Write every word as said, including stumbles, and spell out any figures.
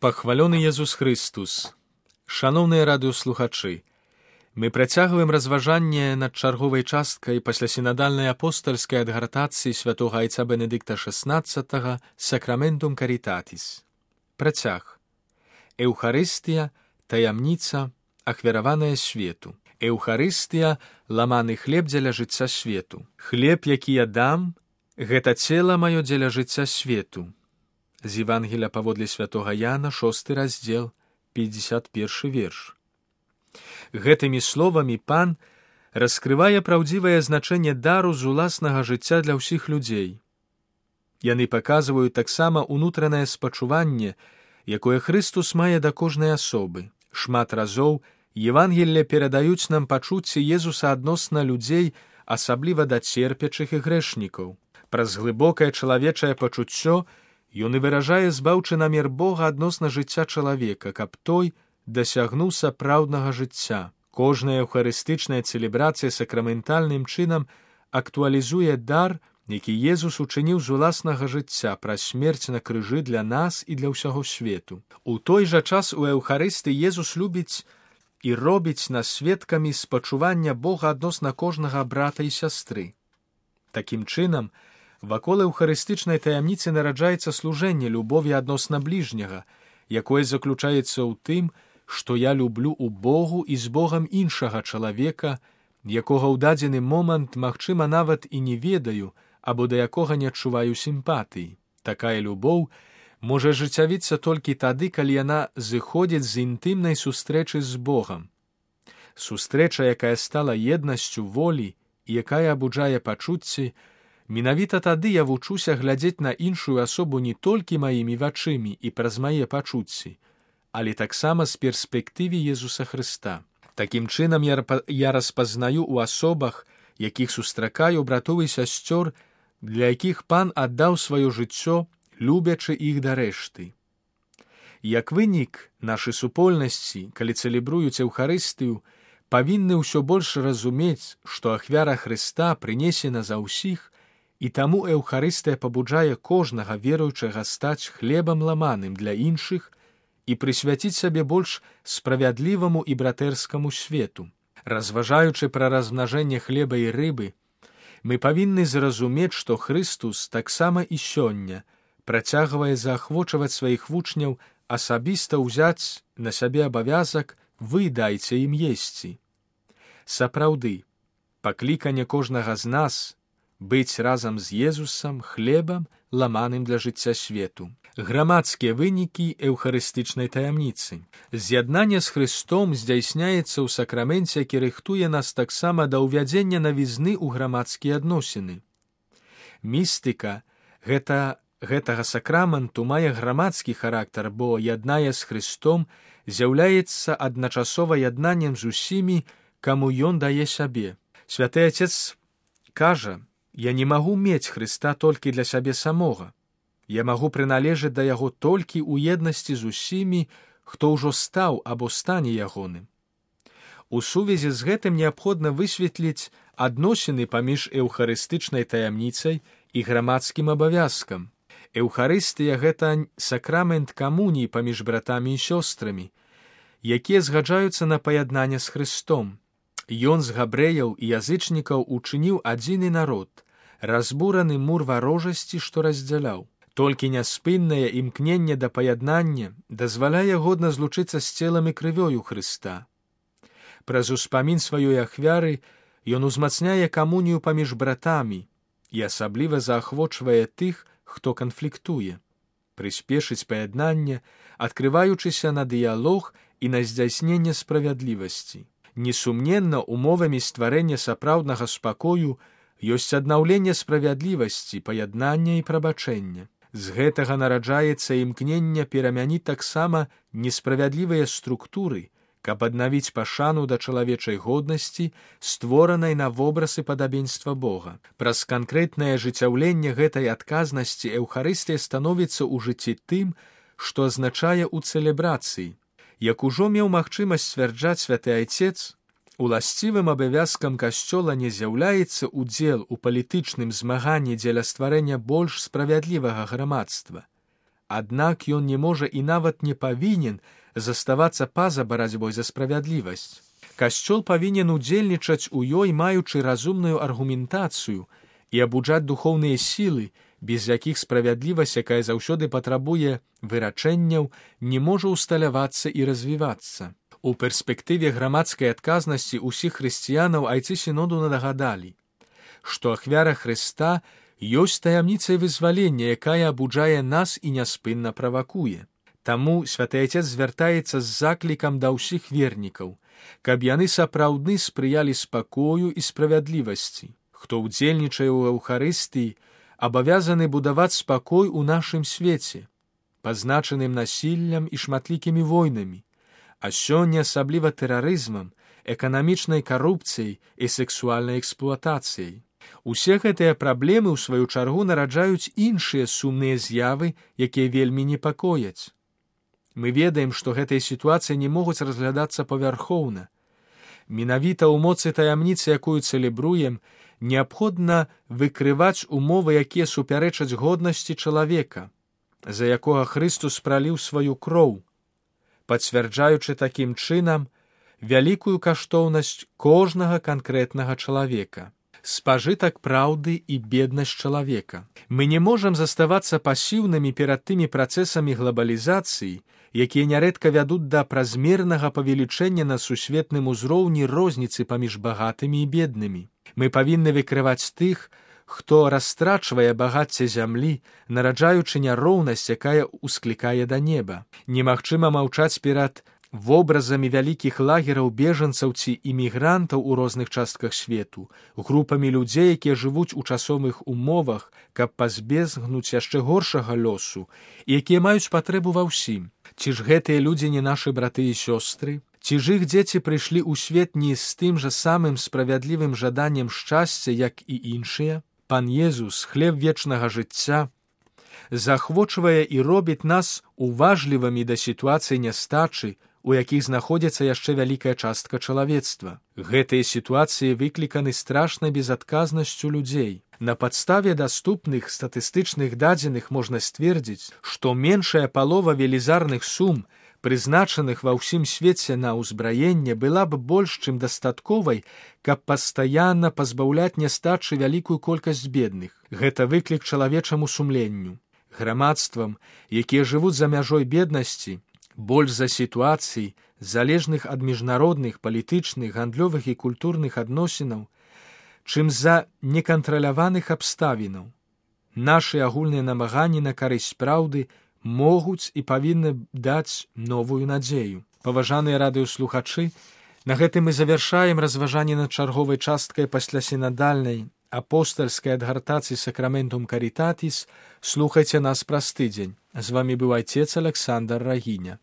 Пахвалёны Езус Христус! Шаноўныя радыёслухачы, мы працягваем разважанне над чарговай часткай паслясінадальнай апостальскай адгартацыі святога айца Бенедыкта шаснаццатага «Сакраментум Каритатис». Працяг. Еўхарыстыя, таямніца, ахвяраваная свету. Еўхарыстыя – ламаны хлеб дзеля жыцця свету. Хлеб, які я дам, гэта цела маё дзеля жыцця свету. З Евангелія паводле святога Яна, шосты раздзел, пятьдесят першы верш. Гэтымі словамі пан раскрывае праўдзівае значэнне дару з уласнага жыцця для ўсіх людзей. Яны паказваюць таксама ўнутранае спачуванне, якое Христус мае да кожнай асобы. Шмат разоў Евангелле перадаюць нам пачуцці Езуса адносна людзей, асабліва да церпячых і грэшнікаў. Праз глыбокае чалавечае пачуццё ён і выражае збаўчы намер Бога адносна жыцця чалавека, каб той дасягнуў сапраўднага жыцця. Кожная еўхарыстычная цэлебрацыя сакраментальным чынам актуалізуе дар, які Езус учыніў з уласнага жыцця праз смерць на крыжы для нас і для ўсяго свету. У той жа час у Еўхарысты Езус любіць і робіць нас сведкамі спачування Бога адносна кожнага брата і сястры. Такім чынам, вакол еўхарыстычнай таямніцы нараджаецца служэнне любові адносна бліжняга, якое заключаецца ў тым, што я люблю ў Богу і з Богам іншага чалавека, якога ў дадзены момант, магчыма, нават і не ведаю, або да якога не адчуваю сімпатыі. Такая любоў можа ажыццявіцца толькі тады, калі яна зыходзіць з інтымнай сустрэчы з Богам. Сустрэча, якая стала еднасцю волі і якая абуджае пачуцці, менавіта тады я вучуся глядзець на іншую асобу не толькі маімі вачымі і праз мае пачуцці, але таксама з перспектывы Езуса Хрыста. Такім чынам я, я распазнаю ў асобах, якіх сустракаю братоў і сясцёр, для якіх пан аддаў сваё жыццё, любячы іх да рэшты. Як вынік, нашы супольнасці, калі цэлебруюць Еўхарыстыю, павінны ўсё больш разумець, што ахвяра Хрыста прынесена за ўсіх, і таму Еўхарыстыя пабуджае кожнага веруючага стаць хлебам ламаным для іншых і прысвяціць сабе больш справядліваму і братэрскаму свету. Разважаючы пра размнажэнне хлеба і рыбы, мы павінны зразумець, што Хрыстус таксама і сёння працягвае заахвочваць сваіх вучняў асабіста ўзяць на сябе абавязак «Вы дайце ім есці». Сапраўды, пакліканне кожнага з нас быць разам з Езусам хлебам, ламаным для жыцця свету. Грамадскія вынікі еўхарыстычнай таямніцы. З'яднанне з Христом здзяйсняецца ў сакраменце, які рыхтуе нас таксама да ўвядзення навізны ў грамадскія адносіны. Містыка гэта, гэтага сакраменту мае грамадскі характар, бо яднае з Христом з'яўляецца адначасова яднаннем з усімі, каму ён дае сябе. Святы Отец кажа: «Я не магу мець Хрыста толькі для сябе самога. Я магу прыналежаць да яго толькі ў еднасці з усімі, хто ўжо стаў або стане ягоным». У сувязі з гэтым неабходна высветліць адносіны паміж еўхарыстычнай таямніцай і грамадскім абавязкам. Еўхарыстыя – гэта сакрамент камуніі паміж братамі і сёстрамі, якія згаджаюцца на паяднанне з Хрыстом. Ён з габрэяў і язычнікаў учыніў адзіны народ, разбураны мур варожасці, што раздзяляў. Толькі няспыннае імкненне да паяднання дазваляе годна злучыцца з целам і крывёю Хрыста. Праз успамін сваёй ахвяры ён узмацняе камунію паміж братамі і асабліва заахвочвае тых, хто канфліктуе, прыспешыць паяднанне, адкрываючыся на дыялог і на здзяйсненне справядлівасці. Несумненна, умовамі стварэння сапраўднага спакою ёсць аднаўленне справядлівасці, паяднання і прабачэння. З гэтага нараджаецца імкненне перамяніць таксама несправядлівыя структуры, каб аднавіць пашану да чалавечай годнасці, створанай на вобраз і падабенства Бога. Праз канкрэтнае ажыццяўленне гэтай адказнасці Еўхарыстыя становіцца ў жыцці тым, што азначае ў цэлебрацыі. Як ужо меў магчымасць сцвярджаць святы Айцец, уласцівым абавязкам касцёла не з'яўляецца ўдзел у палітычным змаганні дзеля стварэння больш справядлівага грамадства, аднак ён не можа і нават не павінен заставацца па-за барацьбой за справядлівасць. Касцёл павінен удзельнічаць у ёй, маючы разумную аргументацыю і абуджаць духоўныя сілы, без якіх справядлівасць, якая заўсёды патрабуе вырачэнняў, не можа усталявацца і развівацца. У перспектыве грамадскай адказнасці ўсіх хрысціянаў айцы сіноду нагадалі, што ахвяра Хрыста ёсць таямніцай вызвалення, якая абуджае нас і няспынна правакуе. Таму святы Айцец звяртаецца з заклікам да ўсіх вернікаў, каб яны сапраўдны спрыялі спакою і справядлівасці. Хто ўдзельнічае ў Эўхарыстыі, абавязаны будаваць спакой у нашым свеце, пазначаным насіллем і шматлікімі войнамі, а сёння асабліва тэрарызмам, эканамічнай карупцыяй і сексуальнай эксплуатацыяй. Усе гэтыя праблемы, у сваю чаргу, нараджаюць іншыя сумныя з'явы, якія вельмі непакояць. Мы ведаем, што гэтыя сітуацыі не могуць разглядацца павярхоўна. Менавіта ў моцы таямніцы, якую цэлебруем, неабходна выкрываць умовы, якія супярэчаць годнасці чалавека, за якога Хрыстус праліў сваю кроў, пацвярджаючы такім чынам вялікую каштоўнасць кожнага канкрэтнага чалавека. Спажытак праўды і беднасць чалавека. Мы не можам заставацца пасіўнымі перад тымі працэсамі глабалізацыі, якія нярэдка вядуць да празмернага павелічэння на сусветным узроўні розніцы паміж багатымі і беднымі. Мы павінны выкрываць тых, хто растрачвае багацце зямлі, нараджаючы няроўнасць, якая ўсклікае да неба. Немагчыма маўчаць перад вобразамі вялікіх лагераў бежанцаў ці імігрантаў у розных частках свету, групамі людзей, якія жывуць у часовых умовах, каб пазбегнуць яшчэ горшага лёсу, і якія маюць патрэбу ва ўсім. Ці ж гэтыя людзі не нашы браты і сёстры? Ці ж іх дзеці прыйшлі ў свет не з тым жа самым справядлівым жаданнем шчасця, як і іншыя? Пан Езус, хлеб вечнага жыцця, захвочвае і робіць нас уважлівымі да сітуацыі нястачы, у якіх знаходзіцца яшчэ вялікая частка чалавецтва. Гэтыя сітуацыі выкліканы страшнай безадказнасцю людзей. На падставе даступных статыстычных дадзеных можна сцвердзіць, што меншая палова велізарных сум, прызначаных ва ўсім свеце на ўзбраенне, была б больш чым дастатковай, каб пастаянна пазбаўляць нястачы вялікую колькасць бедных. Гэта выклік чалавечаму сумленню. Грамадствам, якія жывуць за мяжой беднасці, больш за сітуацый, залежных ад міжнародных, палітычных, гандлёвых і культурных адносінаў, чым за некантраляваных абставінаў. Нашы агульныя намаганні на карысць праўды могуць і павінны даць новую надзею. Паважаныя радыёслухачы, на гэтым мы завяршаем разважанне над чарговай часткай паслясінадальнай апостальскай адгартацыі Сакраментум Карітатіс. Слухайце нас праз тыдзень. З вамі быў айцец Аляксандр Рагіня.